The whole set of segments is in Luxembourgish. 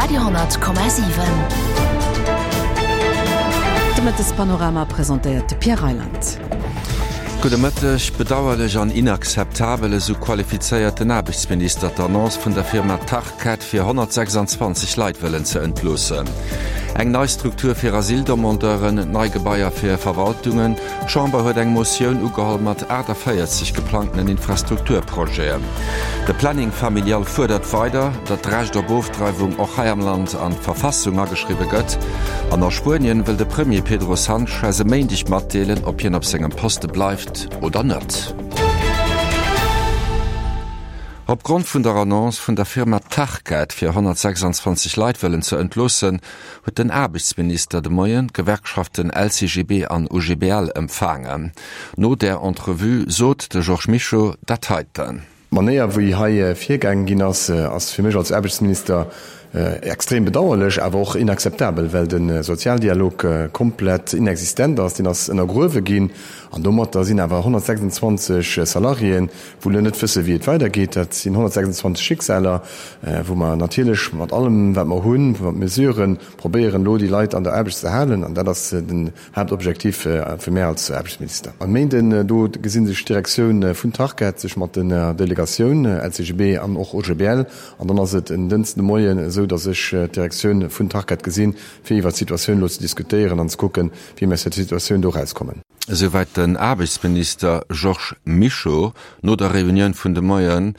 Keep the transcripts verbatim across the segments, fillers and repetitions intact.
Radio honnert Komma siwen. De Mëttespanorama presentéiert de Pierre Reyland. Gudde Mëtteg. Bedauerlech an inakzeptabel, esou qualifizéiert den Aarbechtsminister d'Annonce vun der Firma Tarkett fir honnertsechsanzwanzeg Leit wëllen ze entloossen. Eng nei Struktur fir Asyldemandeuren, nei Gebaier fir Verwaltungen, D'Chamber huet eng Motioun ugeholl mat aachtavéierzeg geplangtenen Infrastrukturprojeten. De Planning familial fuerdert weider, datt d'Recht op Ofdreiwung och hei am Land an d'Verfassung ageschriwwe gëtt. An a Spuenien wëll de Premier Pedro Sanchez e Méindeg matdeelen, ob hien op sengem Poste bleift oder net. Opgrond vun der Annonce vun der Firma Tarkett, fir honnertsechsanzwanzeg Leit wëllen ze entloossen, huet den Aarbechtsminister de Moien d'Gewerkschaften L C G B an U G B L empfaangen. No där Entrevue sot de Georges Mischo dat heiten. D'Manéier, wéi hei virgaange ginn ass, ass fir mech als Aarbechtsminister extrem bedauerlech, awer och inakzeptabel, well de Sozialdialog komplett inexistent ass. Deen ass ënnergruewe ginn an domatter sinn awer honnertsechsanzwanzeg Salariéen, wou elo net wësse wéi et weidergeet. Dat sinn honnertsechsanzwanzeg Schicksaler, wou mer natierlech mat allem, wat mer hunn, mat Mesuren, probéieren elo déi Leit an der Aarbecht ze halen an dat ass den Haaptobjektiv fir mär als Aarbechtsminister. E Méinden do gesi sech d'Direktioun vun Tarkett sech mat den Delegatioun L C G B an och O G B L an dann ass et en Dënschden de Moien esou, datt sech d'Direktioun vun Tarkett gesinn, fir iwwer d'Situatioun elo ze diskutéieren an ze kucken, wéi mir aus der Situatioun do erauskommen. Esouwäit den Aarbechtsminister Georges Mischo no der Reunioun vun de Moie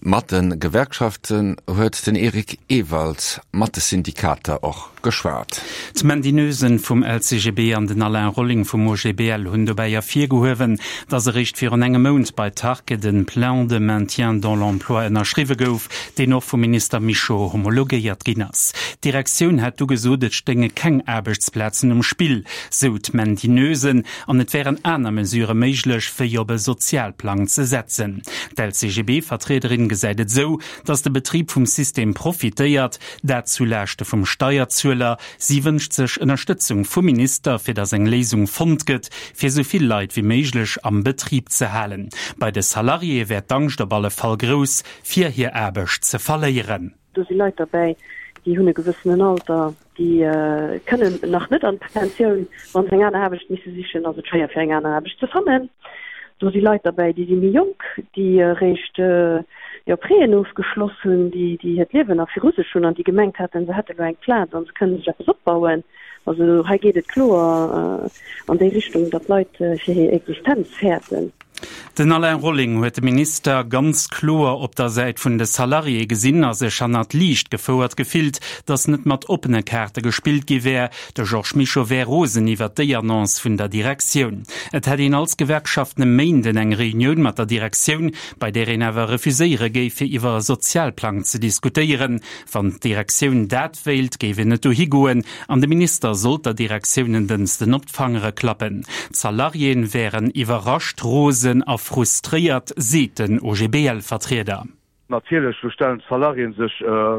mat de Gewerkschaften huet den Eric Ewald mat de Syndikater och geschwat. D'Mandy Noesen vum L C G B an den Alain Rolling vum O G B L hunn dobäi ervirgehuewen, datt eréischt virun engem Mount bei Tarkett de Plan de maintien dans l'emploi ënnerschriwwe gouf, deen och vum Minister Mischo homologéiert ginn ass. D'Direktioun hätt du gesot, et stéinge keng Aarbechtsplazen um Spill, sou d'Mandy Noesen, an et wären aner Mesurë méiglech, wéi op e Sozialplang ze setzen. D'L C G B-Vertriederin gesäit et sou, datt de Betrib vum System profitéiert, dat zu Laaschte vum Steierzueler. Si wënscht sech Ënnerstëtzung vum Minister, fir datt eng Léisung fonnt gëtt, fir sou vill Leit wéi méiglech am Betrib ze halen. Bei de Salariéë wär d'Angscht op alle Fall grouss, fir hir Aarbecht ze verléieren. Do si Leit derbäi, déi hunn e gewëssenen Alter, déi kënnen nach net an d'Pensioun. Wa se eng aner Aarbecht misse sichen, ass et schwéier fir eng aner Aarbecht ze fannen. Do si Leit derbäi, déi si méi jonk, déi eréischt jo Prêten ofgeschloss hunn, déi déi hiert Liewen nach viru sech hunn an déi gemengt haten, se hätte lo eng Plaz an se kënne sech eppes opbauen. Also hei geet et kloer an déi Richtung, datt d'Leit fir hir Existenz fäerten. Den Alain Rolling huet de Minister ganz kloer op der Säit vun de Salariéë gesinn a sech hannert d'Liicht gefouert gefillt, datt net mat oppene Kaarte gespillt gi wär. De Georges Mischo wär rosen iwwer déi Annonce vun der Direktioun. Et hätt een als Gewerkschaften e Méinden eng Reunioun mat der Direktioun, bei där een awer refuséiere géif, fir iwwer e Sozialplang ze diskutéieren. Wann d'Direktioun dat wéilt, géif een net dohi goen an de Minister sollt der Direktioun en Dënschden op d'Fangere klappen. D'Salariéen wären iwwerrascht, rosen a frustréiert, seet den O G B L-Vertrieder. Natierlech, do stellen d'Salariéen sech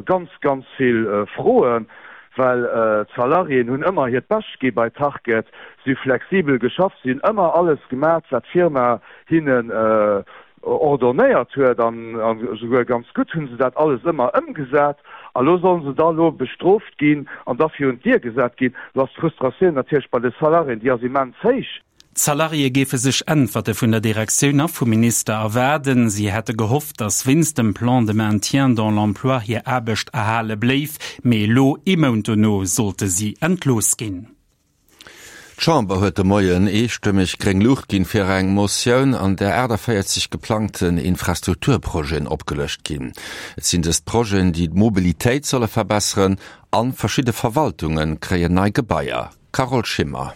ganz, ganz vill Froen, well d'Salariéen hunn ëmmer hiert Bescht gi bei Tarkett, si hu flexibel geschafft, si hunn ëmmer alles gemaach, wat d'Firma hinnen ordonnéiert huet, an esouguer ganz gutt hu se dat alles ëmmer ëmgesat. A lo sollen se da lo bestrooft ginn an da virun d'Dier gesat ginn. Do ass d'Frustratioun natierlech bei de Salariéen, déi ass immens héich. D'Salariéë géife sech Äntwerte vun der Direktioun a vum Minister erwaarden. Si hätte gehofft, datt wéinst dem Plan de maintien dans l'emploi hir Aarbecht erhale bléif, mee elo ee Mount dono sollte si entlooss ginn. D'Chamber huet de Moien eestëmmeg gréng Luucht ginn fir eng Motioun, an där aachtavéierzeg geplangten Infrastrukturprojeten opgelëscht ginn. Et sinn dëst Projeten, déi d'Mobilitéit solle verbesseren an verschidde Verwaltunge kréien nei Gebaier. Carole Schimmer.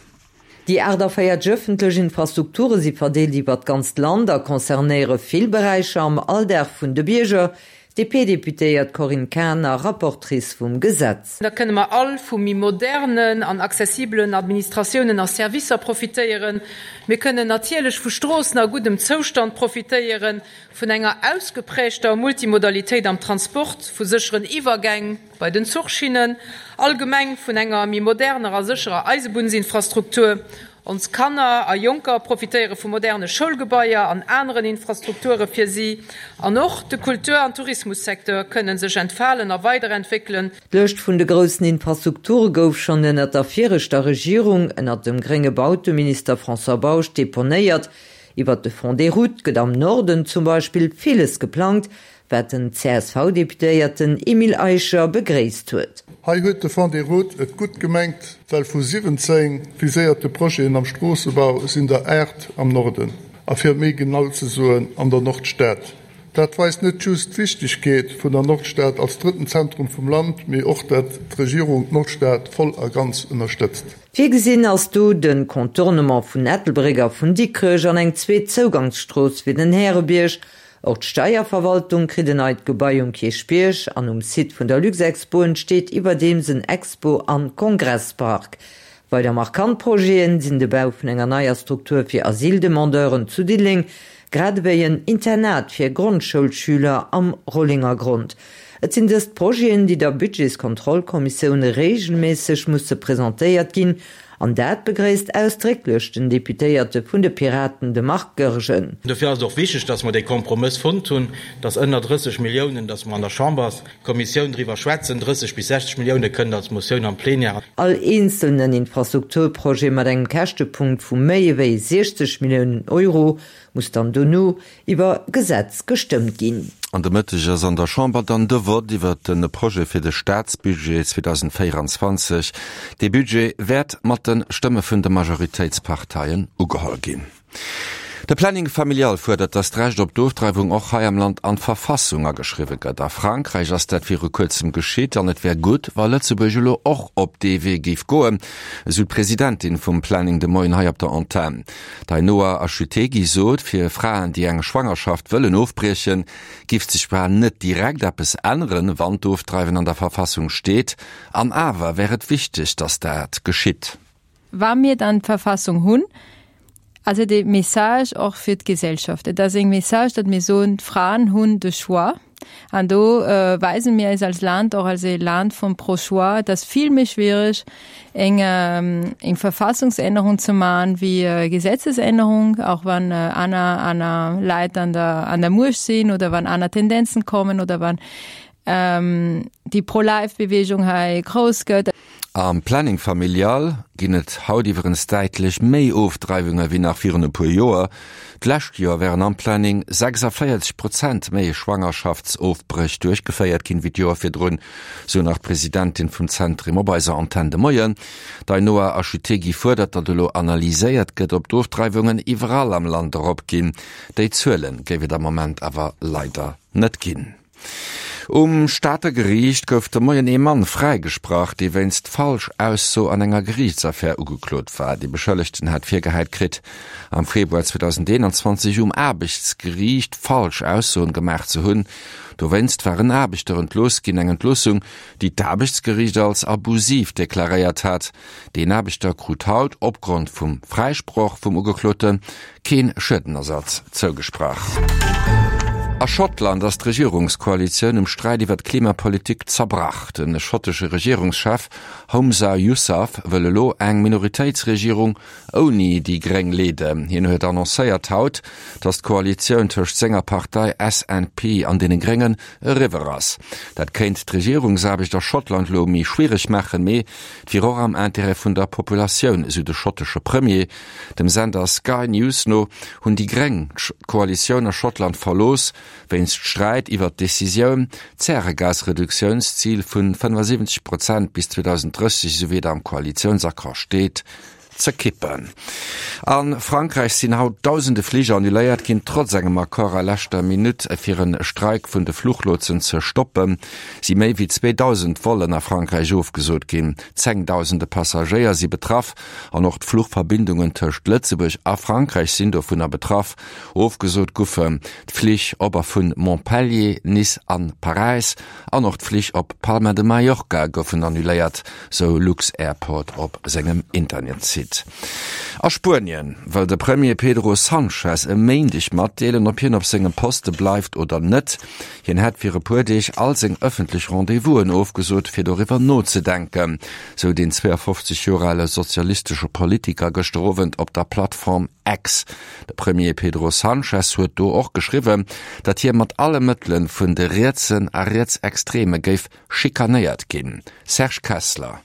Déi aachtavéierzeg ëffentlech Infrastrukture si verdeelt iwwer d'ganzt Land a concernéiere vill Beräicher am Alldag vun de Bierger. D P-Deputéiert Corinne Cahen, Rapportrice vum Gesetz. Da kënne mer all vu méi modernen an accessibelen Administratiounen a Servicer profitéieren. Mir kënnen natierlech vu Stroossen a guddem Zoustand profitéieren, vun enger ausgeprägter Multimodalitéit am Transport, vu sécheren Iwwergäng bei den Zuchschinnen, allgemeng vun enger méi moderner a sécherer Eisebunnsinfrastruktur. Ons Kanner a Jonker profitéiere vu moderne Schoulgebaier an aneren Infrastrukture fir si. An och de Kultur an Tourismussecteur kënne sech entfalen a weiderentwéckelen. D'Lëscht vun de groussen Infrastrukture gouf schonn ënnert der viregter Regierung, ënnert dem grénge Bauteminister François Bausch, deponéiert. Iwwert de Fonds des routes gëtt am Norden zum Beispill villes geplangt, wat den C S V-Deputéierten Emile Eicher begréisst huet. Hei huet de Fonds des routes et gutt gemengt, well vu siwwenzéng viséierte Projeten am Stroossebau sinn der aacht am Norden, a fir méi genau ze soen, an der Nordstad. Dat weist net just d'Wichtegkeet vun der Nordstad als drëtten Zentrum vum Land, mee och dat d'Regierung d'Nordstad voll a ganz ënnerstëtzt. Virgesinn ass do de Contournement vun Ettelbréck a vun Dikrech an eng zweet Zougangsstrooss fir den Härebierg. Och d'Steierverwaltung kritt en neit Gebai um Kierchbierg an um Site vun der Luxexpo entsteet iwwerdeems en Expo a Kongresspark. Weider markant Projete sinn de Bau vun enger neier Struktur fir Asyldemandeuren zu Diddeleng, grad ewéi en Internat fir Grondschoulschüler am Rollengergrond. Et sinn dëst Projeten, déi der Budgetskontrollkommissioun reegelméisseg musse presentéiert ginn, an dat begréisst ausdrécklech den Deputéierte vun de Piraten, de Marc Goergen. Dofir ass et och wichteg, dass mer dee Kompromëss fonnt hunn, dass ënner drësseg Milliounen, dass mer an der Chamberskommissioun driwwer schwätzen, drësseg bis sechzeg Millioune kënnen als Motioun am Plénière. All eenzelnen Infrastrukturprojet mat engem Käschtepunkt vu méi ewéi siechzeg Milliounen Euro muss dann dono iwwer Gesetz gestëmmt ginn. An de Mëtteg ass an der Chamber dann de Vott iwwer de Projet fir de Staatsbudget zweedausendvéierenzwanzeg. Dee Budget wäert mat de Stëmme vun de Majoritéitsparteien ugeholl ginn. De Planning familial fuerdert, datt d'Recht op d'Ofdreiwung och hei am Land an d'Verfassung ageschriwwe gëtt. A Frankräich ass dat viru kuerzem geschitt an et wär gutt, wa Lëtzebuerg elo och op dee Wee géif goen, esou d'Presidentin vum Planning de Moien hei op der Antenn. D'Ainhoa Achutegui sot, fir Fraen, déi eng Schwangerschaft wëllen ofbriechen, géif sech zwar net direkt eppes änneren, wann d'Ofdreiwen an der Verfassung steet, an awer wär et wichteg, datt dat geschitt. Wa mir dann d'Verfassung hunn, ass et e Message och fir d'Gesellschaft. Et ass eng Message, datt mir soen, d'Fraen hunn de Choix. An do äh, weisen mir eis als Land och als e Land vum Pro-Choix. Et ass vill méi schwiereg, eng, ähm, eng Verfassungsännerung ze maachen wéi äh, Gesetzesännerung, auch wann äh, aner, aner Leit an der, an der Muecht sinn oder wann aner Tendenzen kommen oder wann ähm, déi Pro-Life-Bewegung hei grouss gëtt. Am Planning familial ginn et haut iwwerens däitlech méi Ofdreiwunge wéi nach virun e puer Joer. D'lescht Joer wären am Planning sechsavéierzeg Prozent méi Schwangerschaftsofbréch duerchgeféiert ginn wéi d'Joer virdrun, sou nach d'Presidentin vum Zentrum op eiser Antenn de Moien. D'Ainhoa Achutegui fuerdert, datt elo analyséiert gëtt, ob d'Ofdreiwungen iwwerall am Land eropginn. Déi Zuele géif et am Moment awer leider net ginn. Um Stater Geriicht gouf de Moien ee Mann fräigesprach, dee wéinst Falschausso an enger Geriichtsaffär ugeklot war. De Beschëllegten hat virgehäit kritt, am Februar zweedausendeenanzwanzeg um Aarbechtsgeriicht falsch Aussoen gemaach ze hunn. Dowéinst war en Aarbechter entlooss ginn, eng Entloossung, déi d'Aarbechtsgeriicht als abusiv deklaréiert hat. Deen Aarbechter krut haut opgrond vum Fräisproch vum Ugeklote kee Schuedenersatz zougesprach. A Schottland ass d'Regierungskoalitioun um Sträit iwwer d'Klimapolitik zerbrach. De schottesche Regierungschef Humza Yousaf wëll elo eng Minoritéitsregierung ouni déi Gréng leeden. Hien huet annoncéiert haut, datt d'Koalitioun tëscht senger Partei S N P an deene Gréngen eriwwer ass. Dat kéint d'Regierungsaarbecht a Schottland elo méi schwiereg maachen, mee et wier och am Interêt vun der Populatioun, esou de schottesche Premier. Dem Sender Sky News no hunn déi Gréng d'Koalitioun a Schottland verlooss, wéinst Sträit iwwer d'Decisioun, d'Zäregasreduktiounszil vu fënnefasiwwenzeg Prozent bis zweedausenddrësseg, esou wéi et am Koalitiounsaccord steet, ze kippen. A Frankräich sinn haut dausende Flich annuléiert ginn, trotz engem Accord a leschter Minutt fir e Streik vun de Fluchlotsen ze stoppen, si méi wéi zweedausend Vollen a Frankräich ofgesot ginn. Zéngdausende Passagéier si betraff an och d'Fluchverbindungen tëscht Lëtzebuerg a Frankräich sinn dovunner betraff. Ofgesot goufen d'Flich op a vun Montpellier, Nice an Paräis an och d'Flich op Palma de Mallorca goufen annuléiert, sou lux-Airport op sengem Internetsite. Brexit. A Spuenien wëll de Premier Pedro Sanchez e Méindeg matdeelen, ob hien op sengem Poste bleift oder net. Hien hätt fir e puer Deeg all seng ëffentlech Rendez-vousen ofgesot, fir doriwwer nozedenken, sou den zweeafofzeg Joer ale sozialistesche Politiker gëschter Owend op der Plattform X. De Premier Pedro Sanchez huet do och geschriwwen, datt hie mat alle Mëttele vun de Rietsen a Rietsextreme géif schikanéiert ginn. Serge Kessler.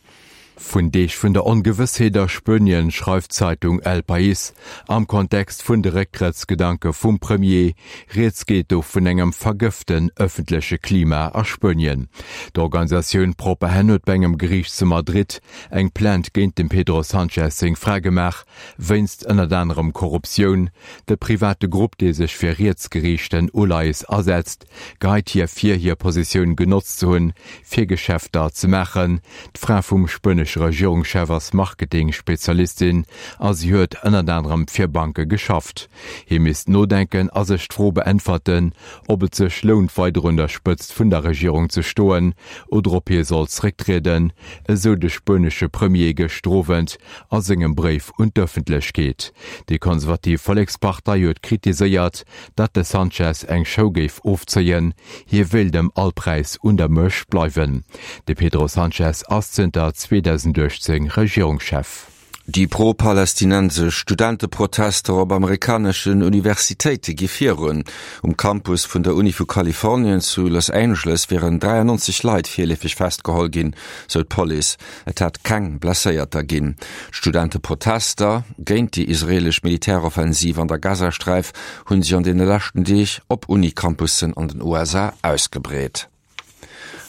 Vun Deeg vun der Ongewëssheet a Spuenien schreift d'Zeitung El País am Kontext vun de Récktrëttsgedanke vum Premier. Rieds geet do vun engem vergëften ëffentleche Klima a Spuenien. D'Organisatioun Propahen huet bei engem Geriicht zu Madrid eng Plainte géint dem Pedro Sanchez seng Fra gemaach, wéinst ënnert anerem Korruptioun. De private Grupp, dee sech fir rietsgeriichten Uleies asetzt, geheit hir vir, hir Positioun genotzt ze hunn, fir Geschäfter ze maachen. D'Fra vum spuenesche Regierungschef ass Marketing-Spezialistin a si huet ënnert anerem fir Banke geschafft. Hie misst nodenken a sech d'Fro beäntwerten, ob et sech lount, weider un der Spëtzt vun der Regierung ze stoen oder ob hie soll zerécktrieden, esou de spuenesche Premier gëschter Owend a sengem Bréif un d'Ëffentlechkeet. Déi konservativ Vollekspartei huet kritiséiert, datt de Sanchez eng Show géif ofzéien, hie wéilt ëm all Präis un der Muecht bleiwen. De Pedro Sanchez ass zënter zweedausenduechtzéng Regierungschef. Déi pro-palästinensesch Studenteprotester op amerikaneschen Universitéite gi virun. Um Campus vun der Uni vu Kalifornien zu Los Angeles wieren dräiannonzeg Leit virleefeg festgeholl ginn, sou d'Police. Et hätt keng Blesséierter ginn. D'Studenteprotester géint déi israeelesch Militäroffensiv an der Gazasträif hu sech an deene leschten Deeg op Uni-Campussen an den U S A ausgebreet.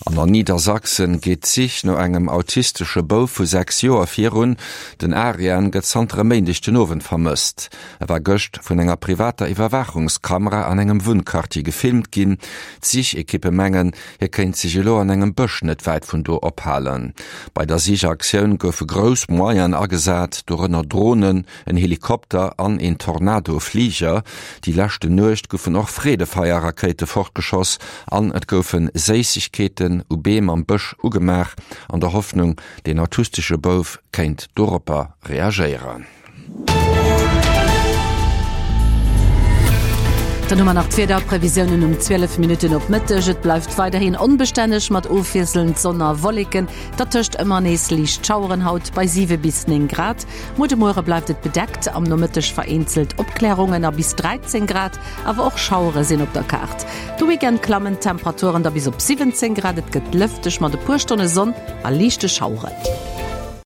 An an Niedersachsen geet d'Sich no engem autistesche Bouf vu sechs Joer virun. Den Arian gëtt zanter e Méindeg den Owend vermësst. E war gëscht vun enger privater Iwwerwaachungskamera an engem Wunnquartier gefilmt ginn. D'Sichekippe mengen, hie kéint sech elo an engem Bësch net wäit vun do ophalen. Bei der Sichaktioun goufe grouss Moyenen agesat, dorënner Dronen, en Helikopter an een Tornado-Fliger. Déi leschte Nuecht goufen och Freedefeier-Rakéite fortgeschoss an et goufe Séissegkeeten u Beem am Bësch ugemaach, an der Hoffnung, deen autistesche Bouf kéint doropper reagéieren. Dann hu mer nach d'Wiederprevisiounen um zwielef Minutten op Mëtteg. Et bleift weiderhin onbestänneg mat ofwiesselnd Sonn a Wolleken, dertëscht ëmmer nees liicht Schaueren, haut bei siwe bis néng Grad. Muer de Muere bleift et bedeckt, am Nomëtteg vereenzelt Opklärungen a bis dräizéng Grad, awer och Schauere sinn op der Kaart. De Weekend klammen d'Temperaturen da bis op siwwenzéng Grad, et gëtt lëfteg mat e puer Stonne Sonn a liichte Schaueren.